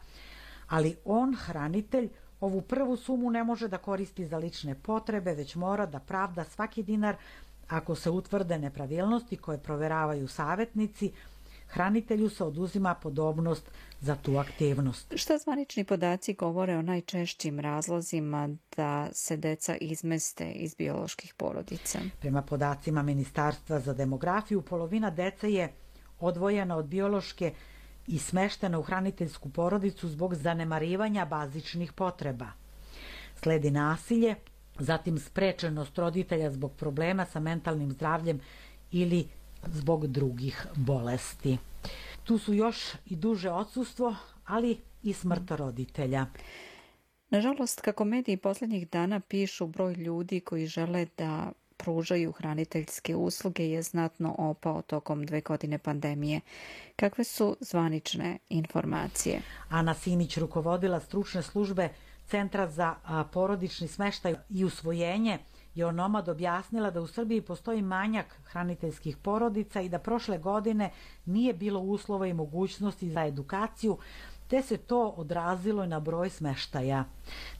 ali on, hranitelj, ovu prvu sumu ne može da koristi za lične potrebe, već mora da pravda svaki dinar ako se utvrde nepravilnosti koje proveravaju savjetnici. Hranitelju se oduzima podobnost za tu aktivnost. Šta zvanični podaci govore o najčešćim razlozima da se deca izmeste iz bioloških porodica? Prema podacima Ministarstva za demografiju, polovina dece je odvojena od biološke i smeštena u hraniteljsku porodicu zbog zanemarivanja bazičnih potreba. Sledi nasilje, zatim sprečenost roditelja zbog problema sa mentalnim zdravljem ili zbog drugih bolesti. Tu su još i duže odsustvo, ali i smrt roditelja. Nažalost, kako mediji posljednjih dana pišu, broj ljudi koji žele da pružaju hraniteljske usluge je znatno opao tokom 2 godine pandemije. Kakve su zvanične informacije? Ana Simić, rukovodila stručne službe Centra za porodični smeštaj i usvojenje, je onomad objasnila da u Srbiji postoji manjak hraniteljskih porodica i da prošle godine nije bilo uslova i mogućnosti za edukaciju, te se to odrazilo i na broj smeštaja.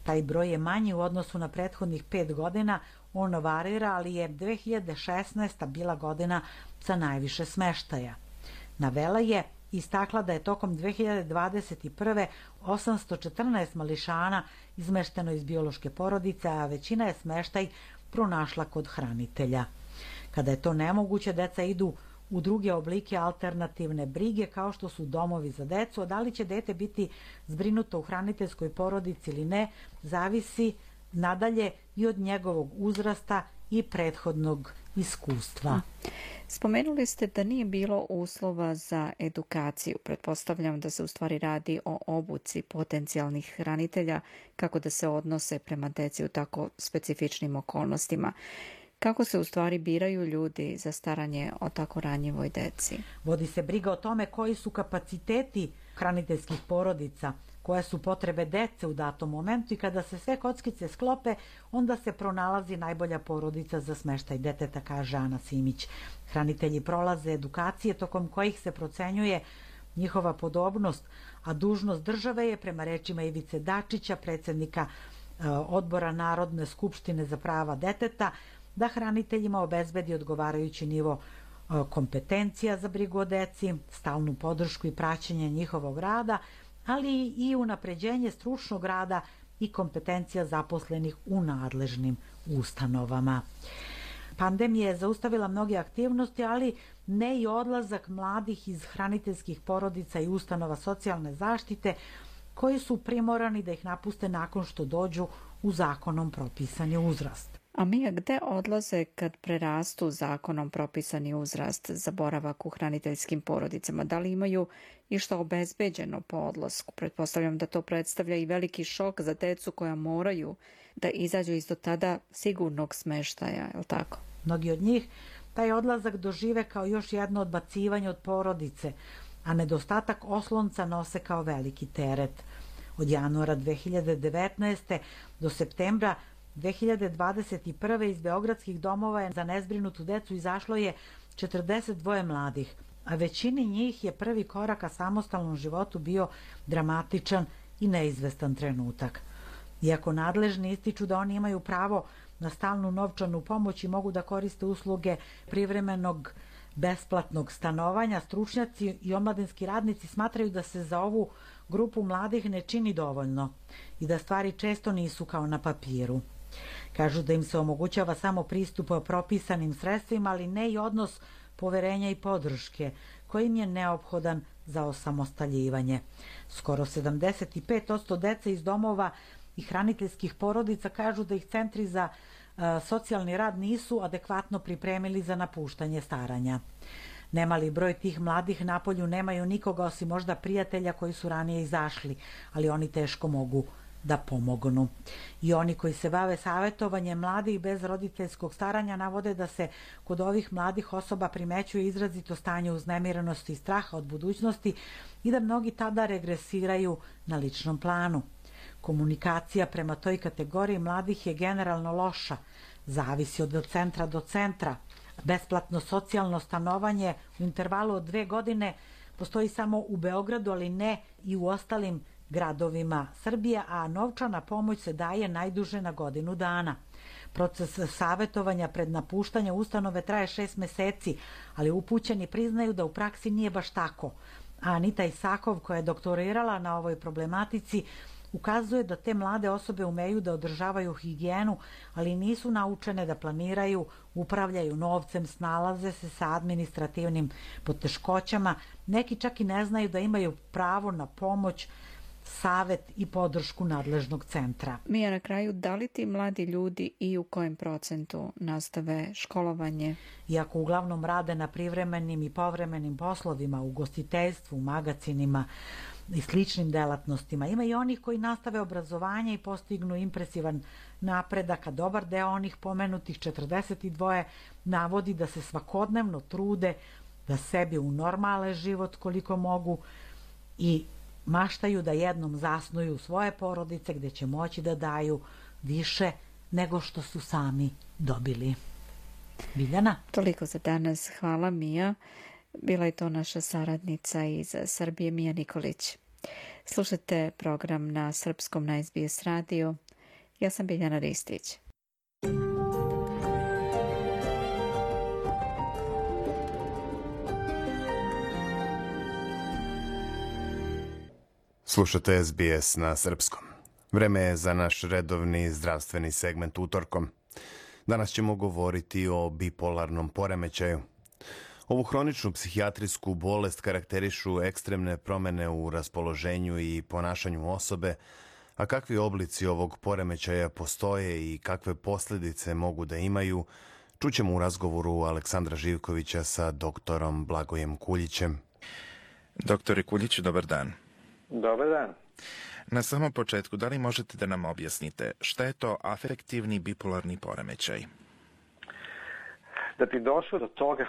Taj broj je manji u odnosu na prethodnih 5 godina, on varira, ali je 2016. bila godina sa najviše smeštaja. Navela je istakla da je tokom 2021. 814 mališana izmešteno iz biološke porodice, a većina je smeštaj pronašla kod hranitelja. Kada je to nemoguće, deca idu u druge oblike alternativne brige, kao što su domovi za decu, a da li će dete biti zbrinuto u hraniteljskoj porodici ili ne, zavisi nadalje i od njegovog uzrasta i prethodnog iskustva. Spomenuli ste da nije bilo uslova za edukaciju. Pretpostavljam da se u stvari radi o obuci potencijalnih hranitelja kako da se odnose prema deci u tako specifičnim okolnostima. Kako se u stvari biraju ljudi za staranje o tako ranjivoj deci? Vodi se briga o tome koji su kapaciteti hraniteljskih porodica, koje su potrebe dece u datom momentu i kada se sve kockice sklope, onda se pronalazi najbolja porodica za smeštaj deteta, kaže Ana Simić. Hranitelji prolaze edukacije tokom kojih se procenjuje njihova podobnost, a dužnost države je, prema rečima Ivice Dačića, predsjednika Odbora Narodne skupštine za prava deteta, da hraniteljima obezbedi odgovarajući nivo kompetencija za brigu o deci, stalnu podršku i praćenje njihovog rada, ali i unapređenje stručnog rada i kompetencija zaposlenih u nadležnim ustanovama. Pandemija je zaustavila mnoge aktivnosti, ali ne i odlazak mladih iz hraniteljskih porodica i ustanova socijalne zaštite, koji su primorani da ih napuste nakon što dođu u zakonom propisani uzrast. A Mija, gde odlaze kad prerastu zakonom propisani uzrast za boravak u hraniteljskim porodicama? Da li imaju išta obezbeđeno po odlasku? Pretpostavljam da to predstavlja i veliki šok za decu koja moraju da izađu iz do tada sigurnog smeštaja, je li tako? Mnogi od njih taj odlazak dožive kao još jedno odbacivanje od porodice, a nedostatak oslonca nose kao veliki teret. Od januara 2019. do septembra 2021. iz beogradskih domova je za nezbrinutu decu izašlo je 42 mladih, a većini njih je prvi korak ka samostalnom životu bio dramatičan i neizvestan trenutak. Iako nadležni ističu da oni imaju pravo na stalnu novčanu pomoć i mogu da koriste usluge privremenog besplatnog stanovanja, stručnjaci i omladinski radnici smatraju da se za ovu grupu mladih ne čini dovoljno i da stvari često nisu kao na papiru. Kažu da im se omogućava samo pristup propisanim sredstvima, ali ne i odnos poverenja i podrške koji im je neophodan za osamostaljivanje. Skoro 75% dece iz domova i hraniteljskih porodica kažu da ih centri za socijalni rad nisu adekvatno pripremili za napuštanje staranja. Nemali broj tih mladih napolju nemaju nikoga osim možda prijatelja koji su ranije izašli, ali oni teško mogu da pomognu. I oni koji se bave savjetovanjem mladih bez roditeljskog staranja navode da se kod ovih mladih osoba primećuje izrazito stanje uznemirenosti i straha od budućnosti i da mnogi tada regresiraju na ličnom planu. Komunikacija prema toj kategoriji mladih je generalno loša, zavisi od centra do centra. Besplatno socijalno stanovanje u intervalu od 2 godine postoji samo u Beogradu, ali ne i u ostalim gradovima Srbije, a novčana pomoć se daje najduže na godinu dana. Proces savjetovanja pred napuštanje ustanove traje 6 meseci, ali upućeni priznaju da u praksi nije baš tako. A Anita Isakov, koja je doktorirala na ovoj problematici, ukazuje da te mlade osobe umeju da održavaju higijenu, ali nisu naučene da planiraju, upravljaju novcem, snalaze se sa administrativnim poteškoćama. Neki čak i ne znaju da imaju pravo na pomoć, savet i podršku nadležnog centra. Mija, na kraju, da li ti mladi ljudi i u kojem procentu nastave školovanje? Iako uglavnom rade na privremenim i povremenim poslovima, u ugostiteljstvu, u magacinima i sličnim delatnostima, ima i onih koji nastave obrazovanje i postignu impresivan napredak, a dobar deo onih pomenutih 42 navodi da se svakodnevno trude da sebi unormale život koliko mogu i maštaju da jednom zasnuju svoje porodice gdje će moći da daju više nego što su sami dobili. Biljana? Toliko za danas. Hvala, Mija. Bila je to naša saradnica iz Srbije, Mija Nikolić. Slušate program na srpskom na SBS radio. Ja sam Biljana Ristić. Slušate SBS na srpskom. Vreme je za naš redovni zdravstveni segment utorkom. Danas ćemo govoriti o bipolarnom poremećaju. Ovu hroničnu psihijatrijsku bolest karakterišu ekstremne promjene u raspoloženju i ponašanju osobe, a kakvi oblici ovog poremećaja postoje i kakve posljedice mogu da imaju, čućemo u razgovoru Aleksandra Živkovića sa doktorom Blagojem Kuljićem. Doktore Kuljić, dobar dan. Dobar dan. Na samom početku, da li možete da nam objasnite šta je to afektivni bipolarni poremećaj? Da bi došlo do toga,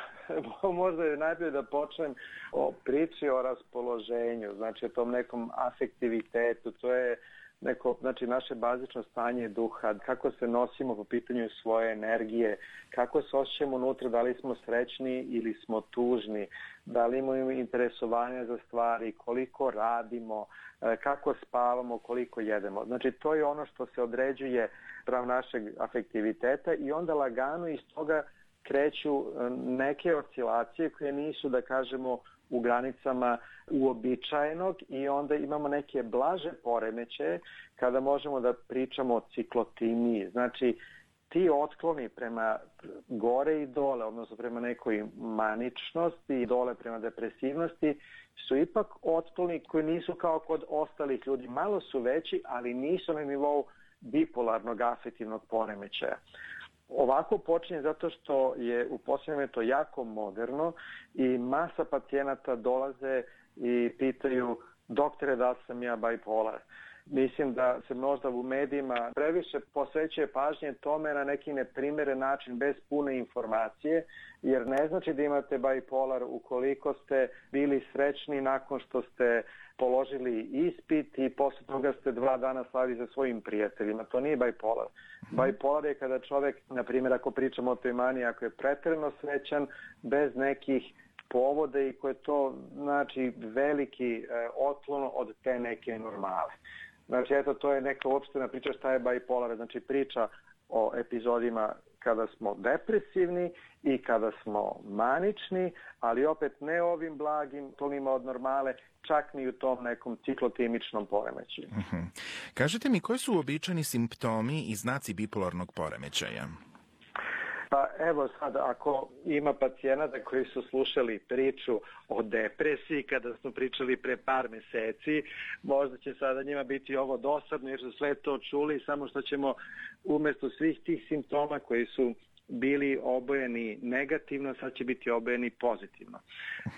možda je najbolje da počnem o priči o raspoloženju, znači o tom nekom afektivitetu, to je neko, znači naše bazično stanje duha, kako se nosimo po pitanju svoje energije, kako se osjećamo unutra, da li smo srećni ili smo tužni, da li imamo interesovanja za stvari, koliko radimo, kako spavamo, koliko jedemo. Znači to je ono što se određuje prav našeg afektiviteta i onda lagano iz toga kreću neke oscilacije koje nisu, da kažemo, u granicama uobičajenog i onda imamo neke blaže poremećaje kada možemo da pričamo o ciklotimiji. Znači, ti otkloni prema gore i dole, odnosno prema nekoj maničnosti i dole prema depresivnosti, su ipak otkloni koji nisu kao kod ostalih ljudi. Malo su veći, ali nisu na nivou bipolarnog afektivnog poremećaja. Ovako počinje zato što je u posljednje vrijeme to jako moderno i masa pacijenata dolaze i pitaju: doktore, da li sam ja bipolar? Mislim da se možda u medijima previše posvećuje pažnje tome na neki neprimeren način bez pune informacije, jer ne znači da imate bipolar ukoliko ste bili srećni nakon što ste položili ispit i posle toga ste 2 dana slavili sa svojim prijateljima. To nije bipolar. Bipolar je kada čovjek, na primjer, ako pričamo o toj maniji, ako je pretjerano srećan, bez nekih povoda i koje to znači veliki otklon od te neke normale. Znači, eto, to je neka uopštena priča šta je bipolar. Znači, priča o epizodima kada smo depresivni i kada smo manični, ali opet ne ovim blagim tonima od normale, čak ni u tom nekom ciklotimičnom poremećaju. Kažete mi, koji su uobičajeni simptomi i znaci bipolarnog poremećaja? Pa evo sad, ako ima pacijenata koji su slušali priču o depresiji kada smo pričali pre par meseci, možda će sada njima biti ovo dosadno jer su sve to čuli, samo što ćemo umjesto svih tih simptoma koji su bili obojeni negativno, sad će biti obojeni pozitivno.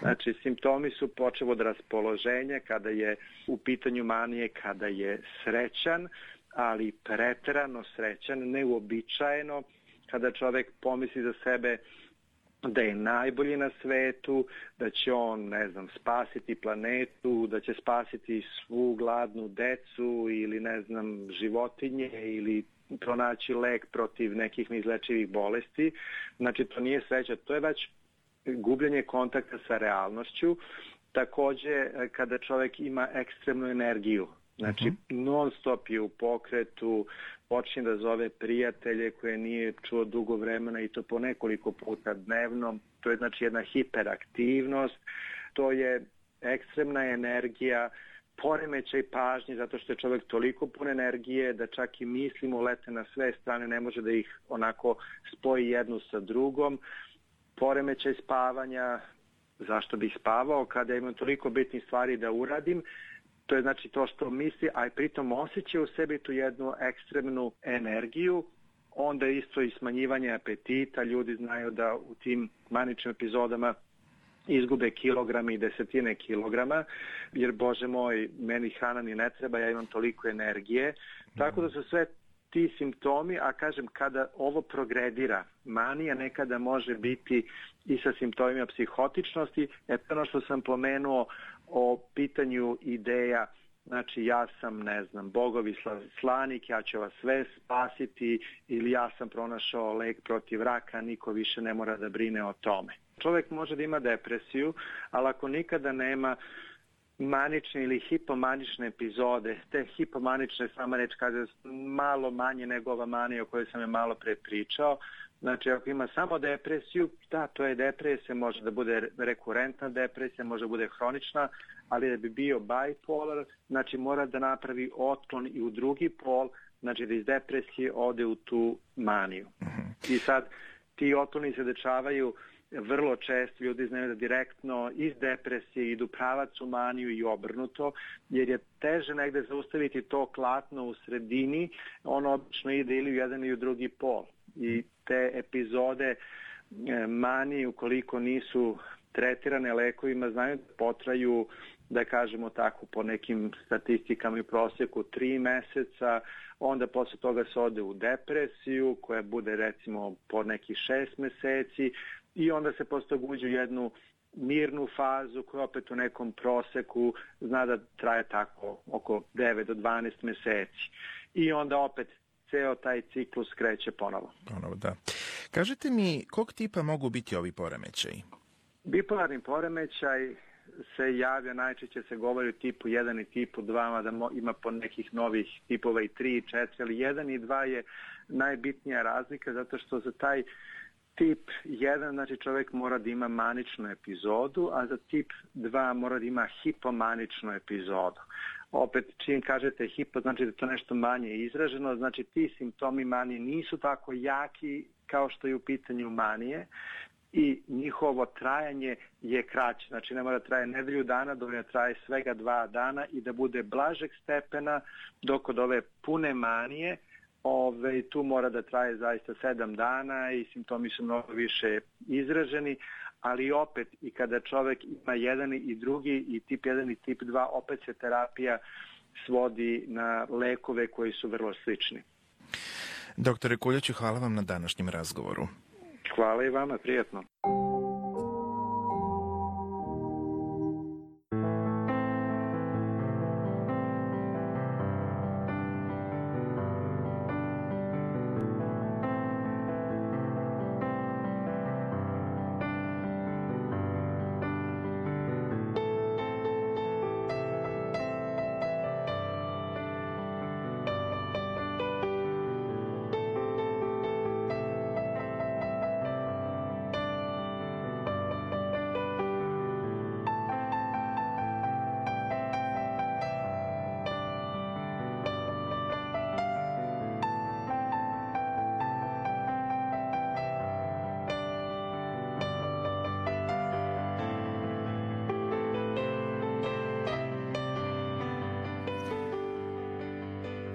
Znači, simptomi su počev od raspoloženja, kada je u pitanju manije, kada je srećan, ali preterano srećan, neuobičajeno, kada čovjek pomisli za sebe da je najbolji na svetu, da će on, ne znam, spasiti planetu, da će spasiti svu gladnu decu ili, ne znam, životinje ili pronaći lek protiv nekih neizlečivih bolesti. Znači, to nije sreća, to je već gubljenje kontakta sa realnošću. Također, kada čovjek ima ekstremnu energiju, znači non stop je u pokretu, počne da zove prijatelje koje nije čuo dugo vremena i to po nekoliko puta dnevno. To je znači jedna hiperaktivnost, to je ekstremna energija, poremećaj pažnje zato što je čovjek toliko pun energije da čak i mislimo lete na sve strane, ne može da ih onako spoji jednu sa drugom. Poremećaj spavanja, zašto bih spavao kada imam toliko bitnih stvari da uradim. To je znači to što misli, a i pritom osjeća u sebi tu jednu ekstremnu energiju. Onda isto i smanjivanje apetita. Ljudi znaju da u tim maničnim epizodama izgube kilograme i desetine kilograma, jer Bože moj, meni hrana ni ne treba, ja imam toliko energije. Tako da su sve ti simptomi, a kažem, kada ovo progredira, manija nekada može biti i sa simptomima psihotičnosti. Ono što sam pomenuo o pitanju ideja, znači ja sam, ne znam, bogovi slanik, ja ću vas sve spasiti, ili ja sam pronašao lek protiv raka, niko više ne mora da brine o tome. Čovjek može da ima depresiju, ali ako nikada nema manične ili hipomanične epizode, te hipomanične, sama reč kaže, malo manje nego ova manija o kojoj sam je malo pre pričao. Znači, ako ima samo depresiju, da, to je depresija, može da bude rekurentna depresija, može da bude hronična, ali da bi bio bipolar, znači mora da napravi otklon i u drugi pol, znači da iz depresije ode u tu maniju. I sad, ti otkloni se dešavaju vrlo često, ljudi znaju da direktno iz depresije idu pravac u maniju i obrnuto, jer je teže negde zaustaviti to klatno u sredini, ono obično ide ili u jedan ili u drugi pol. I te epizode manije, ukoliko nisu tretirane lekovima, znaju da potraju, da kažemo tako, po nekim statistikama i prosjeku 3 meseca, onda posle toga se ode u depresiju koja bude recimo po nekih 6 meseci i onda se posle toga uđe u jednu mirnu fazu koja opet u nekom proseku zna da traje tako oko 9 do 12 meseci. I onda opet ceo taj ciklus kreće ponovo. Ponovo, da. Kažete mi, kog tipa mogu biti ovi poremećaji? Bipolarni poremećaj se javlja, najčešće se govori o tipu 1 i tipu 2, mada ima po nekih novih tipova i 3 i 4, ali 1 i 2 je najbitnija razlika zato što za taj tip 1, znači čovjek mora da ima maničnu epizodu, a za tip 2 mora da ima hipomaničnu epizodu. Opet, čim kažete hipo, znači da je to nešto manje izraženo, znači ti simptomi manije nisu tako jaki kao što je u pitanju manije i njihovo trajanje je kraće. Znači ne mora da traje nedelju dana, dovoljno traje svega 2 dana i da bude blažeg stepena, dok od ove pune manije tu mora da traje zaista 7 dana i simptomi su mnogo više izraženi, ali opet i kada čovjek ima jedan i drugi i tip 1 i tip 2, opet se terapija svodi na lekove koji su vrlo slični. Doktore Kuljaću, hvala vam na današnjem razgovoru. Hvala i vama, prijatno.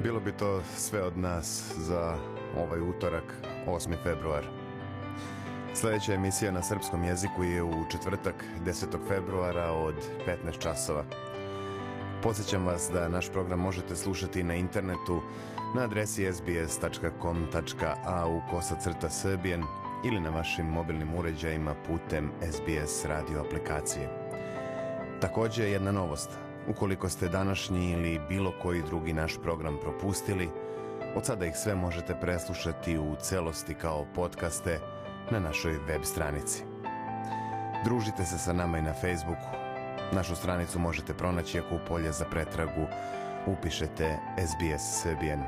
Bilo bi to sve od nas za ovaj utorak, 8. februar. Sljedeća emisija na srpskom jeziku je u četvrtak, 10. februara od 15 časova. Podsjećam vas da naš program možete slušati na internetu na adresi sbs.com.au/Serbian ili na vašim mobilnim uređajima putem SBS radio aplikacije. Također jedna novost. Ukoliko ste današnji ili bilo koji drugi naš program propustili, od sada ih sve možete preslušati u celosti kao podcaste na našoj web stranici. Družite se sa nama i na Facebooku. Našu stranicu možete pronaći ako u polje za pretragu upišete SBS Serbian.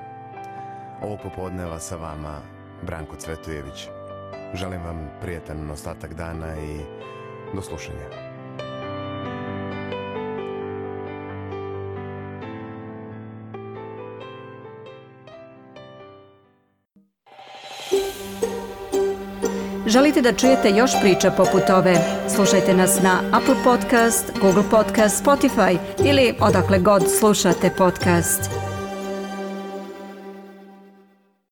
Ovo popodneva sa vama Branko Cvetojević. Želim vam prijetan ostatak dana i do slušanja. Želite da čujete još priča poput ove? Slušajte nas na Apple Podcast, Google Podcast, Spotify ili odakle god slušate podcast.